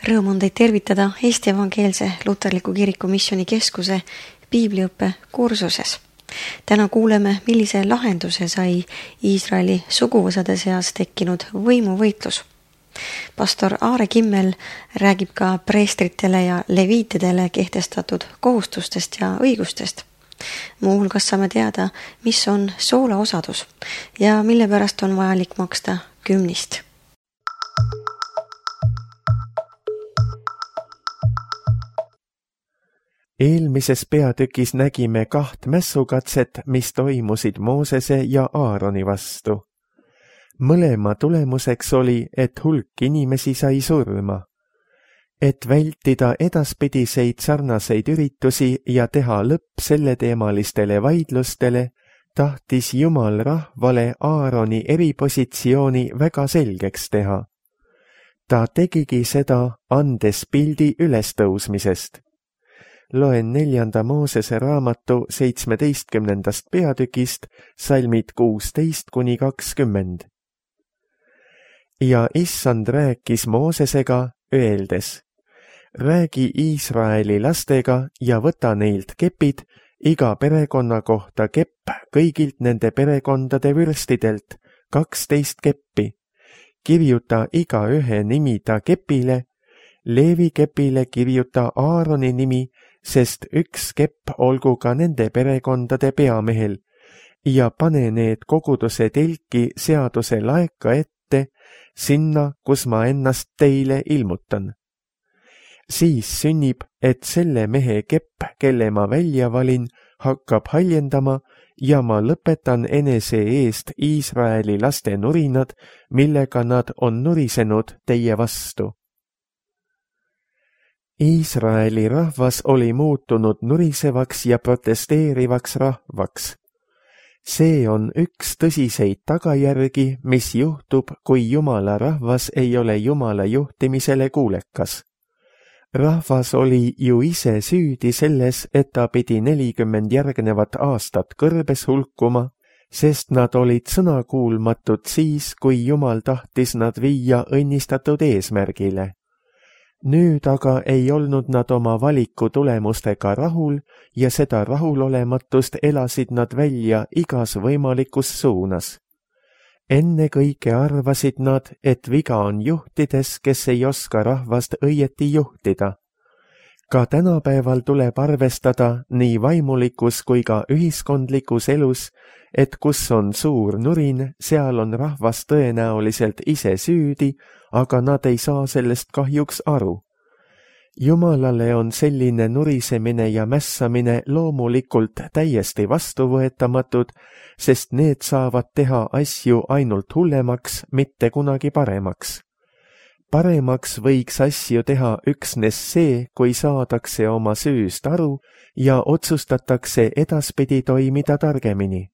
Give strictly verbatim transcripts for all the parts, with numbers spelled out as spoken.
Rõõm on teid tervitada Eesti Evangeelse Luterliku Kiriku Missiooni Keskuse piibliõppe kursuses. Täna kuuleme, millise lahenduse sai Iisraeli suguvõsade seas tekkinud võimuvõitlus. Pastor Aare Kimmel räägib ka preestritele ja leviitidele kehtestatud kohustustest ja õigustest. Muuhulgas saame teada, mis on soolaosadus ja mille pärast on vajalik maksta kümnist. Eelmises peatükis nägime kaht mässukatset, mis toimusid Moosese ja Aaroni vastu. Mõlema tulemuseks oli, et hulk inimesi sai surma. Et vältida edaspidiseid sarnaseid üritusi ja teha lõpp selleteemalistele vaidlustele, tahtis Jumal rahvale Aaroni eripositsiooni väga selgeks teha. Ta tegigi seda, andes pildi ülestõusmisest. Loen neljanda Moosese raamatu seitsmeteistkümnendast peatükist, salmid kuusteist kuni kakskümmend. Ja issand rääkis Moosesega, öeldes, räägi Iisraeli lastega ja võta neilt kepid, iga perekonna kohta kepp kõigilt nende perekondade vürstidelt, kaksteist keppi. Kirjuta iga ühe nimi ta kepile, Leevi kepile kirjuta Aaroni nimi, sest üks kepp olgu ka nende perekondade peamehel, ja pane need koguduse telki seaduse laeka ette, sinna, kus ma ennast teile ilmutan. Siis sünnib, et selle mehe kepp, kelle ma välja valin, hakkab haljendama ja ma lõpetan enese eest Iisraeli laste nurinad, millega nad on nurisenud teie vastu. Iisraeli rahvas oli muutunud nurisevaks ja protesteerivaks rahvaks. See on üks tõsiseid tagajärgi, mis juhtub, kui Jumala rahvas ei ole Jumala juhtimisele kuulekas. Rahvas oli ju ise süüdi selles, et ta pidi nelikümmend järgnevat aastat kõrbes hulkuma, sest nad olid sõnakuulmatud siis, kui Jumal tahtis nad viia õnnistatud eesmärgile. Nüüd aga ei olnud nad oma valiku tulemustega rahul ja seda rahulolematust elasid nad välja igas võimalikus suunas. Enne kõike arvasid nad, et viga on juhtides, kes ei oska rahvast õieti juhtida. Ka tänapäeval tuleb arvestada nii vaimulikus kui ka ühiskondlikus elus, et kus on suur nurin, seal on rahvas tõenäoliselt ise süüdi, aga nad ei saa sellest kahjuks aru. Jumalale on selline nurisemine ja mässamine loomulikult täiesti vastuvõetamatud, sest need saavad teha asju ainult hullemaks, mitte kunagi paremaks. Paremaks võiks asju teha üksnes see, kui saadakse oma süüst aru ja otsustatakse edaspidi toimida targemini.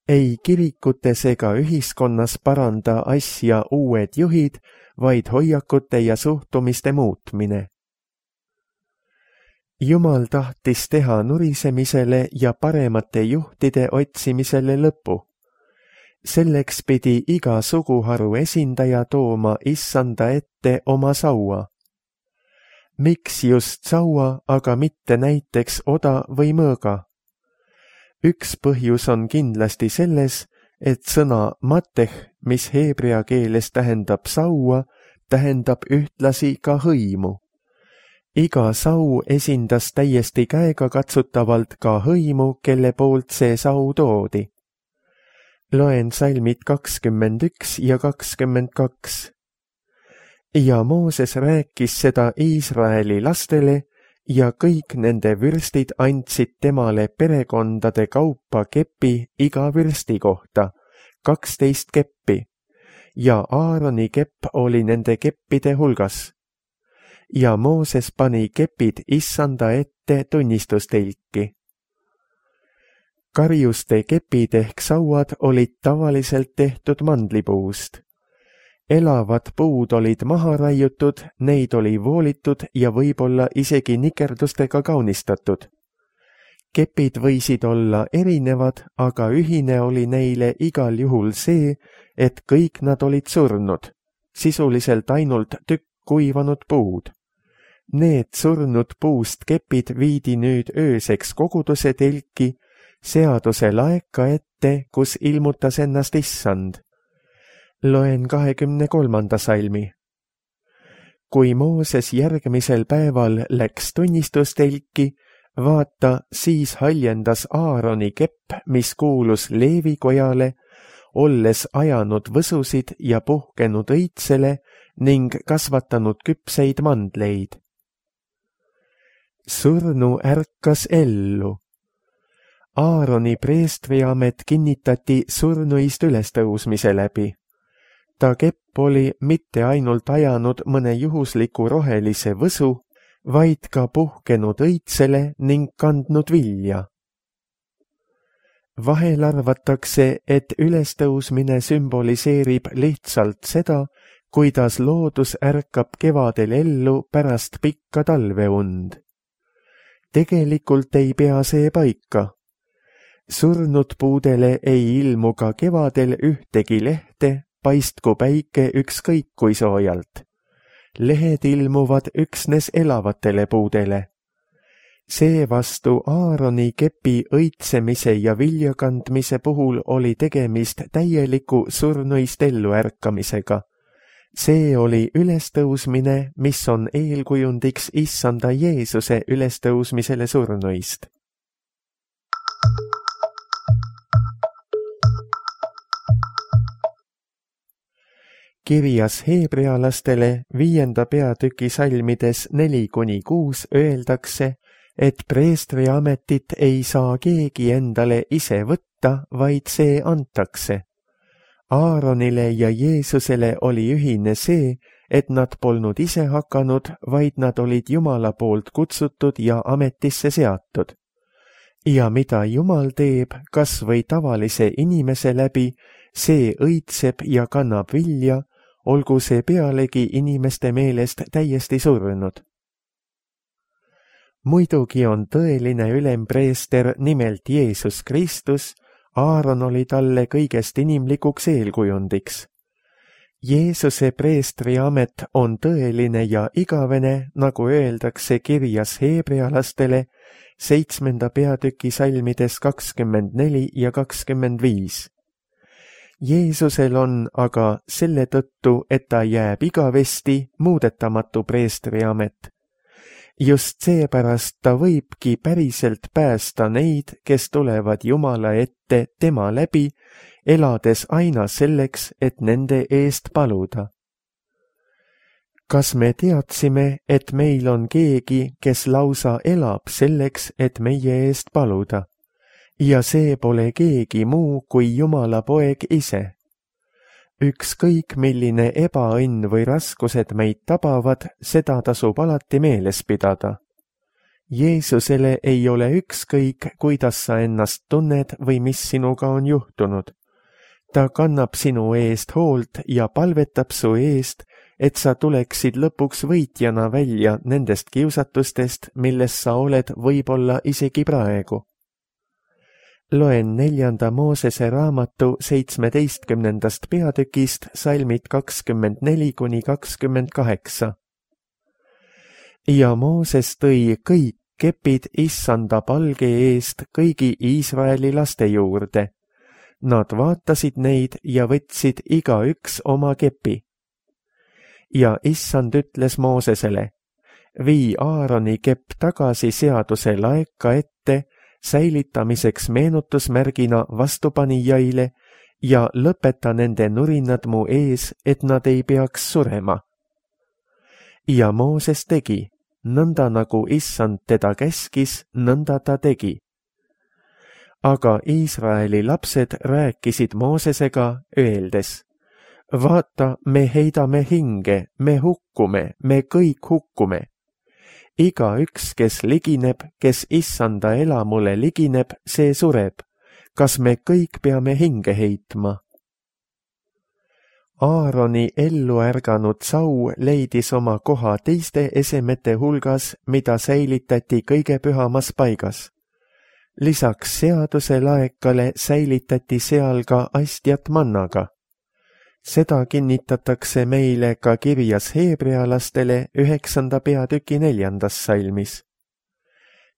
Ei kirikutes ega ühiskonnas paranda asja uued juhid, vaid hoiakute ja suhtumiste muutmine. Jumal tahtis teha nurisemisele ja paremate juhtide otsimisele lõpu. Selleks pidi iga suguharu esindaja tooma issanda ette oma saua. Miks just saua, aga mitte näiteks oda või mõõga? Üks põhjus on kindlasti selles, et sõna mateh, mis heebrea keeles tähendab saua, tähendab ühtlasi ka hõimu. Iga sau esindas täiesti käegakatsutavalt ka hõimu, kelle poolt see sau toodi. Loen salmid kakskümmend üks ja kakskümmend kaks. Ja Mooses rääkis seda Iisraeli lastele ja kõik nende vürstid andsid temale perekondade kaupa kepi iga vürsti kohta, kaksteist keppi, ja Aaroni kepp oli nende keppide hulgas. Ja Mooses pani kepid issanda ette tunnistustelki. Karjuste kepid ehk sauad olid tavaliselt tehtud mandlipuust. Elavad puud olid maha raiutud, neid oli voolitud ja võib-olla isegi nikerdustega kaunistatud. Kepid võisid olla erinevad, aga ühine oli neile igal juhul see, et kõik nad olid surnud, sisuliselt ainult tükk kuivanud puud. Need surnud puust kepid viidi nüüd ööseks koguduse telki, seaduse laeka ette, kus ilmutas ennast issand. Loen kahekümne kolmanda salmi. Kui Mooses järgmisel päeval läks tunnistustelki, vaata, siis haljendas Aaroni kepp, mis kuulus Leevi kojale, olles ajanud võsusid ja puhkenud õitsele ning kasvatanud küpseid mandleid. Surnu ärkas ellu. Aaroni preestriamet kinnitati surnuist ülestõusmise läbi. Ta kepp oli mitte ainult ajanud mõne juhusliku rohelise võsu, vaid ka puhkenud õitsele ning kandnud vilja. Vahel arvatakse, et ülestõusmine sümboliseerib lihtsalt seda, kuidas loodus ärkab kevadel ellu pärast pikka talveund. Tegelikult ei pea see paika. Surnud puudele ei ilmu ka kevadel ühtegi lehte, paistku päike ükskõik kui soojalt. Lehed ilmuvad üksnes elavatele puudele. Seevastu Aaroni kepi õitsemise ja viljakandmise puhul oli tegemist täieliku surnuist elluärkamisega. See oli ülestõusmine, mis on eelkujundiks issanda Jeesuse ülestõusmisele surnuist. Kirjas heebrealastele viienda peatüki salmides neli kuni kuus öeldakse, et preestri ametit ei saa keegi endale ise võtta, vaid see antakse. Aaronile ja Jeesusele oli ühine see, et nad polnud ise hakanud, vaid nad olid Jumala poolt kutsutud ja ametisse seatud. Ja mida Jumal teeb, kas või tavalise inimese läbi, see õitseb ja kannab vilja, olgu see pealegi inimeste meelest täiesti surnud. Muidugi on tõeline ülempreester nimelt Jeesus Kristus, Aaron oli talle kõigest inimlikuks eelkujundiks. Jeesuse preestri amet on tõeline ja igavene, nagu öeldakse kirjas heebrealastele, seitsmenda peatüki salmides kakskümmend neli ja kakskümmend viis. Jeesusel on aga selle tõttu, et ta jääb igavesti muudetamatu preestri amet. Just seepärast ta võibki päriselt päästa neid, kes tulevad Jumala ette tema läbi, elades aina selleks, et nende eest paluda. Kas me teadsime, et meil on keegi, kes lausa elab selleks, et meie eest paluda? Ja see pole keegi muu kui Jumala poeg ise. Ükskõik milline ebaõnn või raskused meid tabavad, seda tasub alati meeles pidada. Jeesusele ei ole ükskõik, kuidas sa ennast tunned või mis sinuga on juhtunud. Ta kannab sinu eest hoolt ja palvetab su eest, et sa tuleksid lõpuks võitjana välja nendest kiusatustest, milles sa oled võib-olla isegi praegu. Loen neljanda Moosese raamatu seitsmeteistkümnendast peatükist salmid kakskümmend neli kuni kakskümmend kaheksa. Ja Mooses tõi kõik kepid issanda palge eest kõigi Iisraeli laste juurde. Nad vaatasid neid ja võtsid igaüks oma kepi. Ja issand ütles Moosesele, vii Aaroni kepp tagasi seaduse laeka ette, säilitamiseks meenutusmärgina vastupanijaile ja lõpeta nende nurinad mu ees, et nad ei peaks surema. Ja Mooses tegi, nõnda nagu issand teda käskis, nõnda ta tegi. Aga Iisraeli lapsed rääkisid Moosesega, öeldes, vaata, me heidame hinge, me hukkume, me kõik hukkume. Iga üks, kes ligineb, kes issanda elamule ligineb, see sureb. Kas me kõik peame hinge heitma? Aaroni ellu ärganud sau leidis oma koha teiste esemete hulgas, mida säilitati kõige pühamas paigas. Lisaks seaduse laekale säilitati seal ka astjat mannaga. seda kinnitatakse meile ka kirjas heebrealastele üheksanda peatüki neljandas salmis.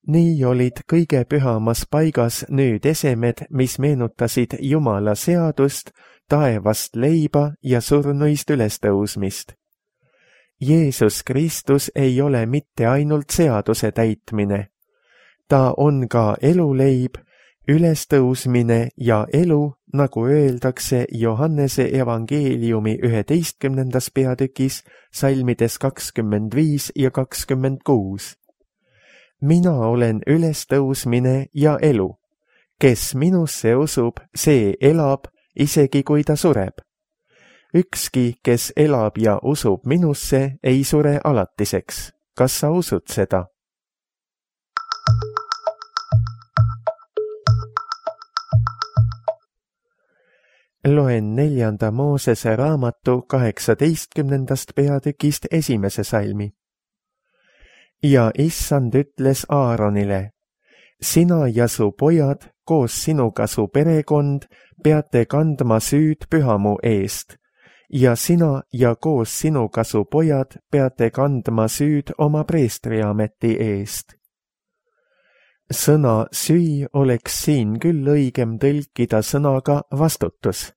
Nii olid kõige pühamas paigas nüüd esemed, mis meenutasid Jumala seadust, taevast leiba ja surnuist ülestõusmist. Jeesus Kristus ei ole mitte ainult seaduse täitmine. Ta on ka eluleib, ülestõusmine ja elu, nagu öeldakse Johannese evangeeliumi üheteistkümnendas peatükis, salmides kakskümmend viis ja kakskümmend kuus. Mina olen ülestõusmine ja elu. Kes minusse usub, see elab, isegi kui ta sureb. Ükski, kes elab ja usub minusse, ei sure alatiseks. Kas sa usud seda? Loen neljanda Moosese raamatu kaheksateistkümnendast peatükist esimese salmi. Ja issand ütles Aaronile, sina ja su pojad, koos sinuga su perekond, peate kandma süüd pühamu eest, ja sina ja koos sinuga su pojad peate kandma süüd oma preestriameti eest. Sõna süü oleks siin küll õigem tõlkida sõnaga vastutus.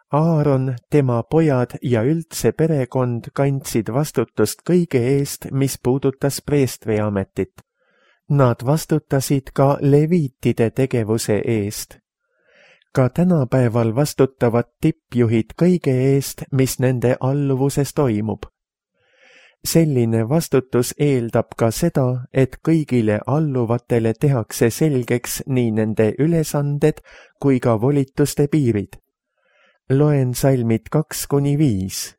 Aaron, tema pojad ja üldse perekond kandsid vastutust kõige eest, mis puudutas preestriametit. Nad vastutasid ka leviitide tegevuse eest. Ka tänapäeval vastutavad tippjuhid kõige eest, mis nende alluvuses toimub. Selline vastutus eeldab ka seda, et kõigile alluvatele tehakse selgeks nii nende ülesanded kui ka volituste piirid. Loen salmid kaks kuni viis.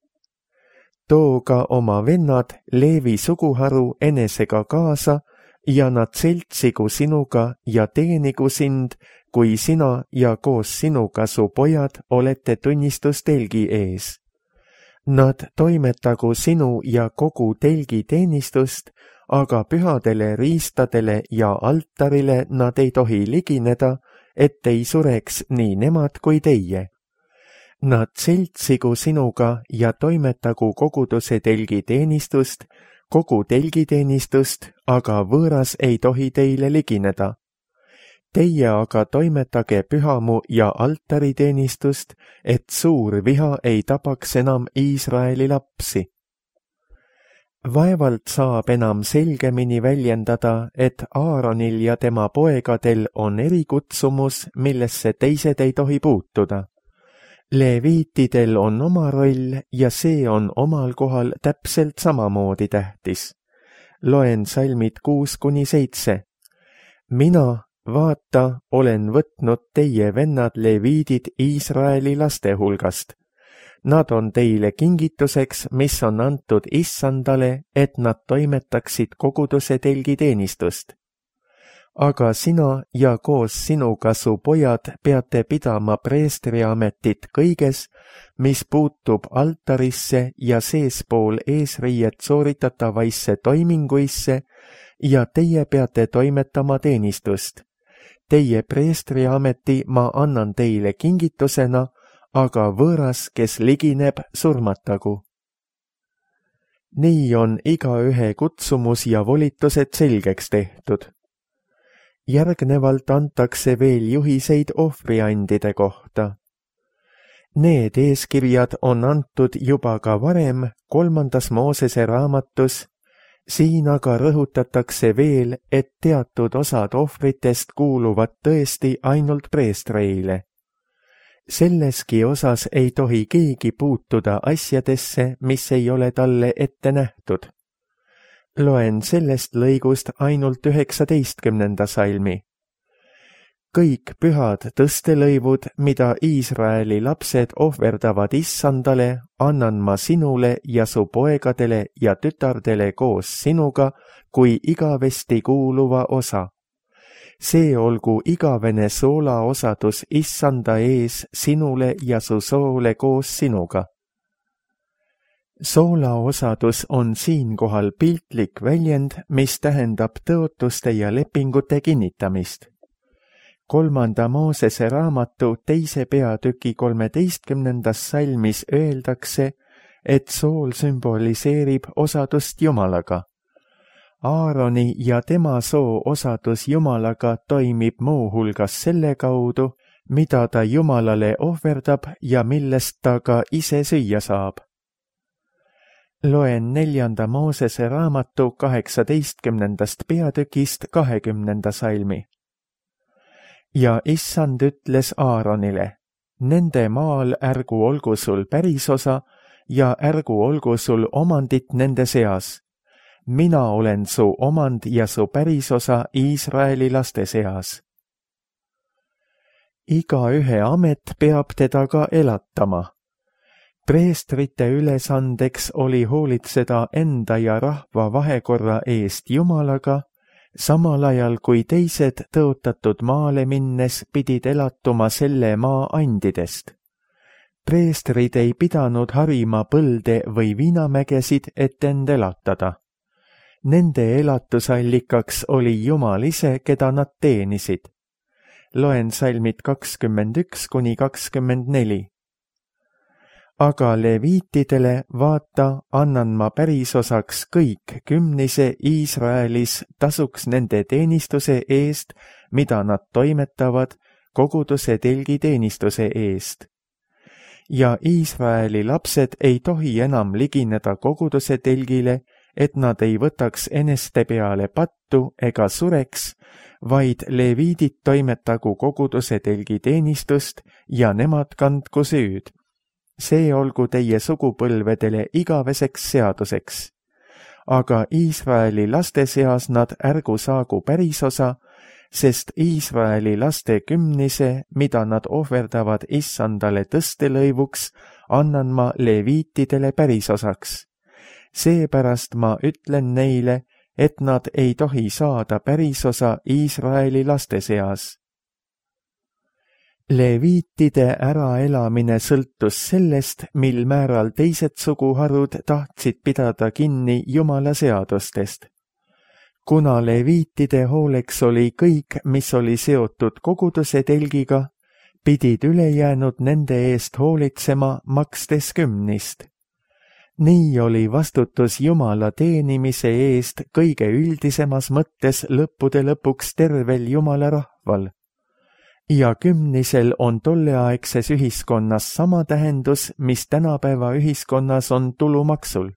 Too ka oma vennad Leevi suguharu enesega kaasa ja nad seltsigu sinuga ja teenigu sind, kui sina ja koos sinuga su pojad olete tunnistustelgi ees. Nad toimetagu sinu ja kogu telgi teenistust, aga pühadele riistadele ja altarile nad ei tohi ligineda, et ei sureks nii nemad kui teie. Nad seltsigu sinuga ja toimetagu koguduse telgi teenistust, kogu telgi teenistust, aga võõras ei tohi teile ligineda. Teie aga toimetage pühamu ja altariteenistust, et suur viha ei tapaks enam Iisraeli lapsi. Vaevalt saab enam selgemini väljendada, et Aaronil ja tema poegadel on erikutsumus, millesse teised ei tohi puutuda. Leviitidel on oma roll ja see on omal kohal täpselt samamoodi tähtis. Loen salmid kuus kuni seitse. Mina, vaata, olen võtnud teie vennad leviidid Iisraeli laste hulgast. Nad on teile kingituseks, mis on antud issandale, et nad toimetaksid koguduse telgi teenistust. Aga sina ja koos sinuga su pojad peate pidama preestriametit kõiges, mis puutub altarisse ja seespool eesriiet sooritatavaisse toiminguisse, ja teie peate toimetama teenistust. Teie preestriameti ma annan teile kingitusena, aga võõras, kes ligineb, surmatagu. Nii on igaühe kutsumus ja volitused selgeks tehtud. Järgnevalt antakse veel juhiseid ohvriandide kohta. Need eeskirjad on antud juba ka varem kolmandas Moosese raamatus, siin aga rõhutatakse veel, et teatud osad ohvritest kuuluvad tõesti ainult preestreile. Selleski osas ei tohi keegi puutuda asjadesse, mis ei ole talle ette nähtud. Loen sellest lõigust ainult üheksateistkümnenda salmi. Kõik pühad tõstelõivud, mida Iisraeli lapsed ohverdavad issandale, annan ma sinule ja su poegadele ja tütardele koos sinuga kui igavesti kuuluva osa. See olgu igavene soolaosadus issanda ees sinule ja su soole koos sinuga. Soolaosadus on siinkohal piltlik väljend, mis tähendab tõotuste ja lepingute kinnitamist. kolmanda Moosese raamatu teise peatüki kolmeteistkümnendas salmis öeldakse, et sool sümboliseerib osadust Jumalaga. Aaroni ja tema soo osadus Jumalaga toimib muuhulgas selle kaudu, mida ta Jumalale ohverdab ja millest ta ka ise süüa saab. Loen neljanda Moosese raamatu kaheksateistkümnendast peatükist kahekümnenda salmi. Ja issand ütles Aaronile, nende maal ärgu olgu sul pärisosa ja ärgu olgu sul omandit nende seas. Mina olen su omand ja su pärisosa Iisraeli laste seas. Igaühe amet peab teda ka elatama. Preestrite ülesandeks oli hoolitseda enda ja rahva vahekorra eest Jumalaga, samal ajal kui teised tõotatud maale minnes pidid elatuma selle maa andidest. Preestrid ei pidanud harima põlde või viinamägesid, et end elatada. Nende elatusallikaks oli Jumal ise, keda nad teenisid. Loen salmid kakskümmend üks kuni kakskümmend neli. Aga leviitidele, vaata, annan ma pärisosaks kõik kümnise Iisraelis tasuks nende teenistuse eest, mida nad toimetavad koguduse telgi teenistuse eest. Ja Iisraeli lapsed ei tohi enam ligineda koguduse telgile, et nad ei võtaks eneste peale pattu ega sureks, vaid leviidid toimetagu koguduse telgi teenistust ja nemad kandku süüd. See olgu teie sugupõlvedele igaveseks seaduseks. Aga Iisraeli laste seas nad ärgu saagu pärisosa, sest Iisraeli laste kümnise, mida nad ohverdavad issandale tõstelõivuks, annan ma leviitidele pärisosaks. Seepärast ma ütlen neile, et nad ei tohi saada pärisosa Iisraeli laste seas. Leviitide äraelamine sõltus sellest, mil määral teised suguharud tahtsid pidada kinni Jumala seadustest. Kuna leviitide hooleks oli kõik, mis oli seotud koguduse telgiga, pidid ülejäänud nende eest hoolitsema makstes kümnist. Nii oli vastutus Jumala teenimise eest kõige üldisemas mõttes lõppude lõpuks tervel Jumala rahval. Ja kümnisel on tolleaegses ühiskonnas sama tähendus, mis tänapäeva ühiskonnas on tulumaksul.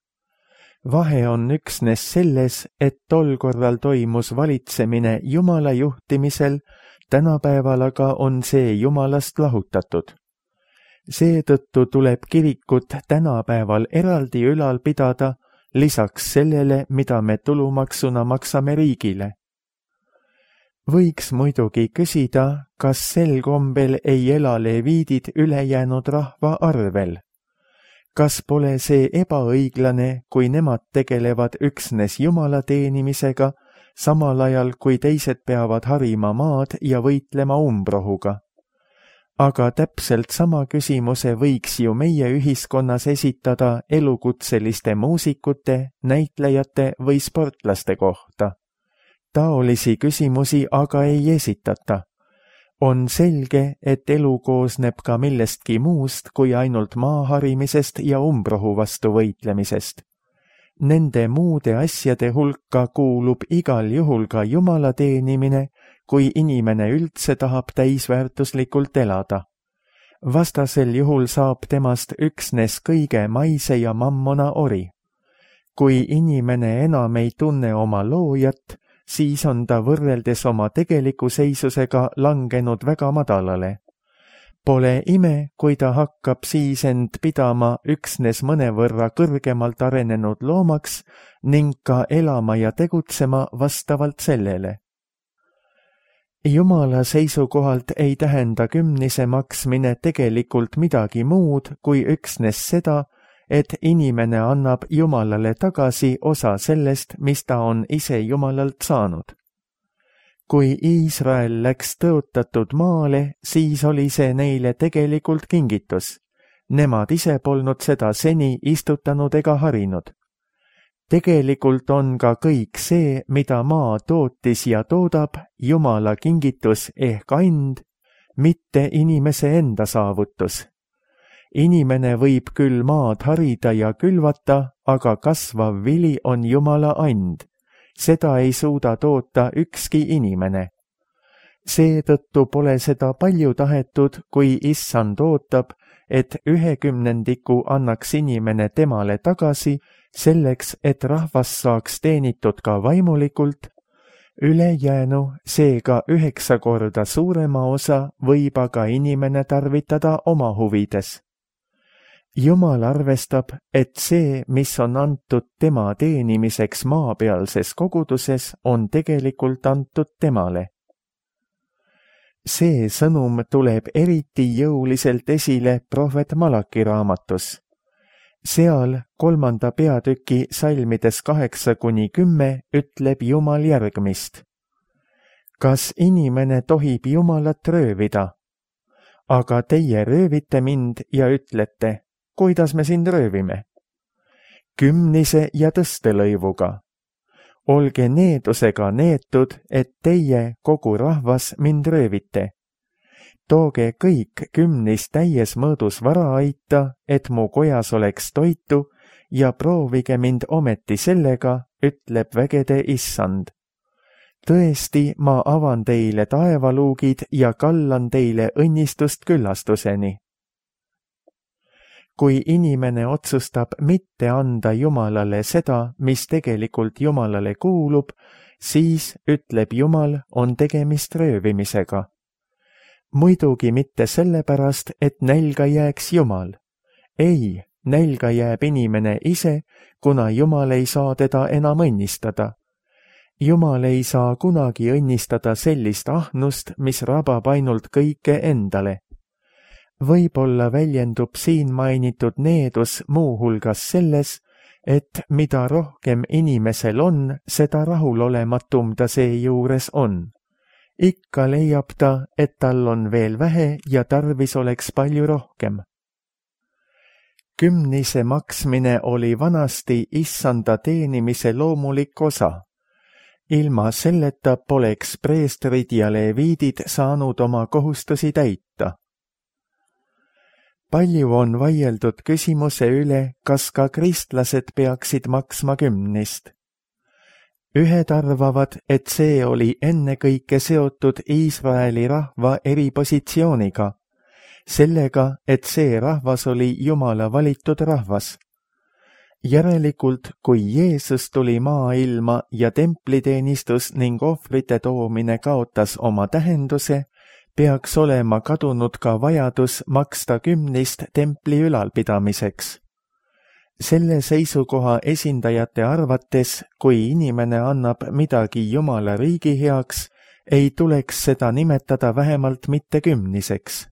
Vahe on üksnes selles, et tol korral toimus valitsemine Jumala juhtimisel, tänapäeval aga on see Jumalast lahutatud. Seetõttu tuleb kirikut tänapäeval eraldi ülal pidada, lisaks sellele, mida me tulumaksuna maksame riigile. Võiks muidugi küsida, kas sel kombel ei ela leviidid ülejäänud rahva arvel. Kas pole see ebaõiglane, kui nemad tegelevad üksnes Jumala teenimisega, samal ajal kui teised peavad harima maad ja võitlema umbrohuga? Aga täpselt sama küsimuse võiks ju meie ühiskonnas esitada elukutseliste muusikute, näitlejate või sportlaste kohta. Taolisi küsimusi aga ei esitata. On selge, et elu koosneb ka millestki muust kui ainult maaharimisest ja umbrohu vastu võitlemisest. Nende muude asjade hulka kuulub igal juhul ka Jumala teenimine, kui inimene üldse tahab täisväärtuslikult elada. Vastasel juhul saab temast üksnes kõige maise ja mammona ori. Kui inimene enam ei tunne oma loojat, siis on ta võrreldes oma tegeliku seisusega langenud väga madalale. Pole ime, kui ta hakkab siis end pidama üksnes mõnevõrra kõrgemalt arenenud loomaks ning ka elama ja tegutsema vastavalt sellele. Jumala seisukohalt ei tähenda kümnise maksmine tegelikult midagi muud kui üksnes seda, et inimene annab Jumalale tagasi osa sellest, mis ta on ise Jumalalt saanud. Kui Iisrael läks tõotatud maale, siis oli see neile tegelikult kingitus. Nemad ise polnud seda seni istutanud ega harinud. Tegelikult on ka kõik see, mida maa tootis ja toodab, Jumala kingitus ehk and, mitte inimese enda saavutus. Inimene võib küll maad harida ja külvata, aga kasvav vili on Jumala and. Seda ei suuda toota ükski inimene. Seetõttu pole seda palju tahetud, kui Issand ootab, et ühe kümnendiku annaks inimene temale tagasi, selleks, et rahvas saaks teenitud ka vaimulikult, ülejäänu, seega üheksa korda suurema osa võib aga inimene tarvitada oma huvides. Jumal arvestab, et see, mis on antud tema teenimiseks maapealses koguduses, on tegelikult antud temale. See sõnum tuleb eriti jõuliselt esile prohvet Malaki raamatus. Seal kolmanda peatüki salmides kaheksa kuni kümme ütleb Jumal järgmist. Kas inimene tohib Jumalat röövida? Aga teie röövite mind ja ütlete, kuidas me sind röövime? Kümnise ja tõstelõivuga. Olge needusega neetud, et teie, kogu rahvas, mind röövite. Tooge kõik kümnis täies mõõdus varaaita, et mu kojas oleks toitu, ja proovige mind ometi sellega, ütleb vägede Issand. Tõesti, ma avan teile taevaluugid ja kallan teile õnnistust küllastuseni. Kui inimene otsustab mitte anda Jumalale seda, mis tegelikult Jumalale kuulub, siis, ütleb Jumal, on tegemist röövimisega. Muidugi mitte sellepärast, et nälga jääks Jumal. Ei, nälga jääb inimene ise, kuna Jumal ei saa teda enam õnnistada. Jumal ei saa kunagi õnnistada sellist ahnust, mis rabab ainult kõike endale. Võib-olla väljendub siin mainitud needus muuhulgas selles, et mida rohkem inimesel on, seda rahulolematum ta seejuures on. Ikka leiab ta, et tal on veel vähe ja tarvis oleks palju rohkem. Kümnise maksmine oli vanasti Issanda teenimise loomulik osa. Ilma selleta poleks preestrid ja leviidid saanud oma kohustusi täita. Palju on vaieldud küsimuse üle, kas ka kristlased peaksid maksma kümnist. Ühed arvavad, et see oli ennekõike seotud Iisraeli rahva eripositsiooniga, sellega, et see rahvas oli Jumala valitud rahvas. Järelikult, kui Jeesus tuli maailma ja templiteenistus ning ohvrite toomine kaotas oma tähenduse, peaks olema kadunud ka vajadus maksta kümnist templi ülalpidamiseks. Selle seisukoha esindajate arvates, kui inimene annab midagi Jumala riigi heaks, ei tuleks seda nimetada vähemalt mitte kümniseks.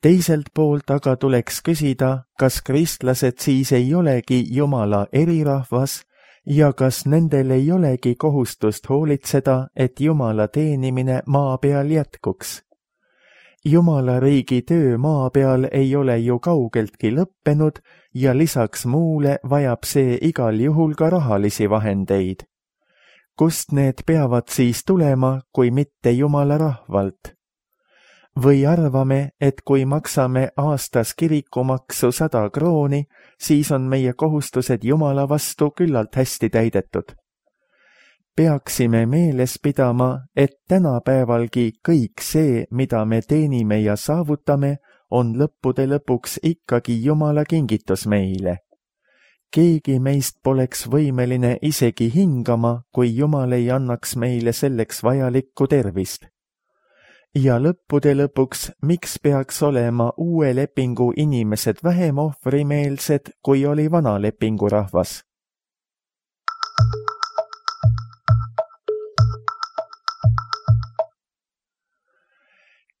Teiselt poolt aga tuleks küsida, kas kristlased siis ei olegi Jumala erirahvas ja kas nendel ei olegi kohustust hoolitseda, et Jumala teenimine maa peal jätkuks. Jumala riigi töö maa peal ei ole ju kaugeltki lõppenud ja lisaks muule vajab see igal juhul ka rahalisi vahendeid. Kust need peavad siis tulema, kui mitte Jumala rahvalt? Või arvame, et kui maksame aastas kirikumaksu sada krooni, siis on meie kohustused Jumala vastu küllalt hästi täidetud. Peaksime meeles pidama, et tänapäevalgi kõik see, mida me teenime ja saavutame, on lõppude lõpuks ikkagi Jumala kingitus meile. Keegi meist poleks võimeline isegi hingama, kui Jumal ei annaks meile selleks vajalikku tervist. Ja lõppude lõpuks, miks peaks olema uue lepingu inimesed vähem ohvrimeelsed, kui oli vana lepingu rahvas?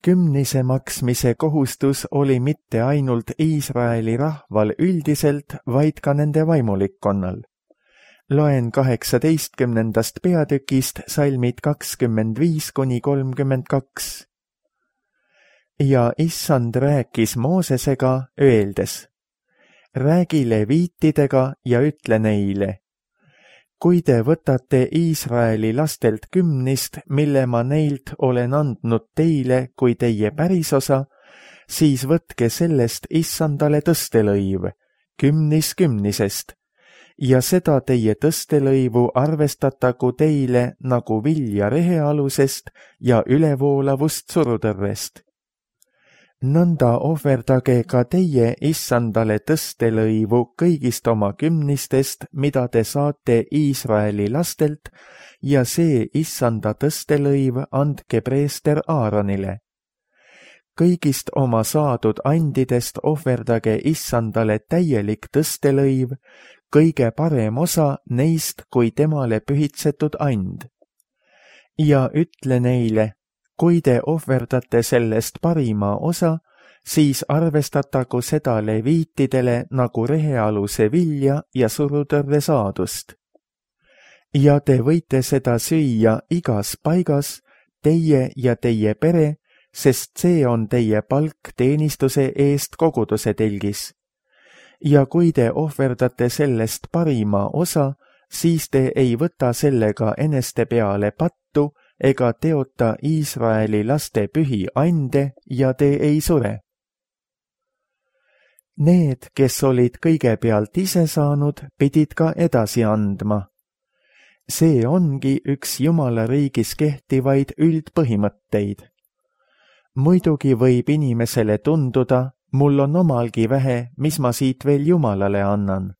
Kümnise maksmise kohustus oli mitte ainult Iisraeli rahval üldiselt, vaid ka nende vaimulikkonnal. Loen kaheksateistkümnendast peatükist salmid kakskümmend viis kuni kolmkümmend kaks. Ja Issand rääkis Moosesega, öeldes, räägi leviitidega ja ütle neile, kui te võtate Iisraeli lastelt kümnist, mille ma neilt olen andnud teile kui teie pärisosa, siis võtke sellest issandale tõstelõiv, kümnis kümnisest, ja seda teie tõstelõivu arvestatagu teile nagu vilja rehealusest ja ülevoolavust surutõrrest. Nõnda ohverdage ka teie issandale tõstelõivu kõigist oma kümnistest, mida te saate Iisraeli lastelt, ja see issanda tõstelõiv andke preester Aaronile. Kõigist oma saadud andidest ohverdage issandale täielik tõstelõiv, kõige parem osa neist kui temale pühitsetud and. Ja ütle neile, kui te ohverdate sellest parima osa, siis arvestatagu seda leviitidele nagu rehealuse vilja ja surutõrre saadust. Ja te võite seda süüa igas paigas, teie ja teie pere, sest see on teie palk teenistuse eest koguduse telgis. Ja kui te ohverdate sellest parima osa, siis te ei võta sellega eneste peale pattu ega teota Iisraeli laste pühi ande ja te ei sure. Need, kes olid kõigepealt ise saanud, pidid ka edasi andma. See ongi üks Jumala riigis kehtivaid üldpõhimõtteid. Muidugi võib inimesele tunduda, mul on omalgi vähe, mis ma siit veel Jumalale annan.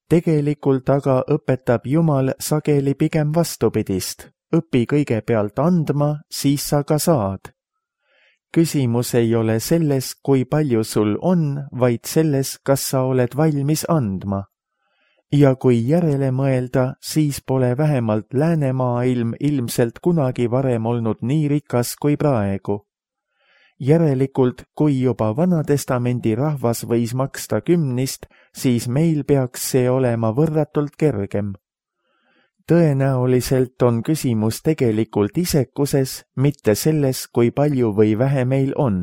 Tegelikult aga õpetab Jumal sageli pigem vastupidist. Õpi kõigepealt andma, siis sa ka saad. Küsimus ei ole selles, kui palju sul on, vaid selles, kas sa oled valmis andma. Ja kui järele mõelda, siis pole vähemalt läänemaailm ilmselt kunagi varem olnud nii rikas kui praegu. Järelikult, kui juba Vanatestamendi rahvas võis maksta kümnist, siis meil peaks see olema võrratult kergem. Tõenäoliselt on küsimus tegelikult isekuses, mitte selles, kui palju või vähe meil on.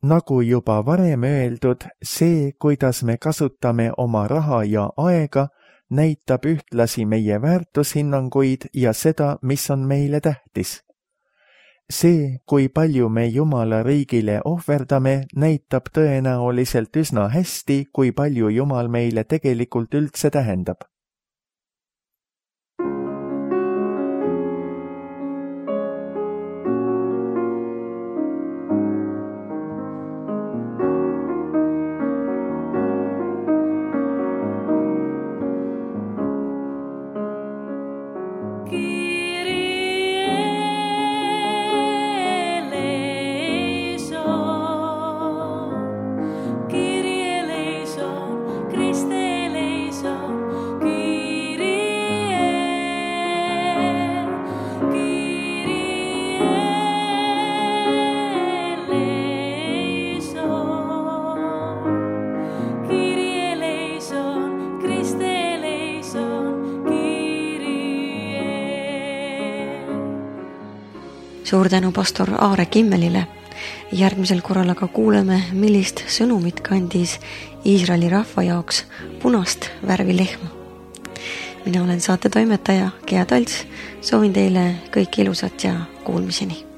Nagu juba varem öeldud, see, kuidas me kasutame oma raha ja aega, näitab ühtlasi meie väärtushinnanguid ja seda, mis on meile tähtis. See, kui palju me Jumala riigile ohverdame, näitab tõenäoliselt üsna hästi, kui palju Jumal meile tegelikult üldse tähendab. Suur tänu pastor Aare Kimmelile. Järgmisel korral aga kuuleme, millist sõnumit kandis Iisraeli rahva jaoks punast värvi lehma. Mina olen saate toimetaja Gea Talts. Soovin teile kõik ilusat ja kuulmiseni.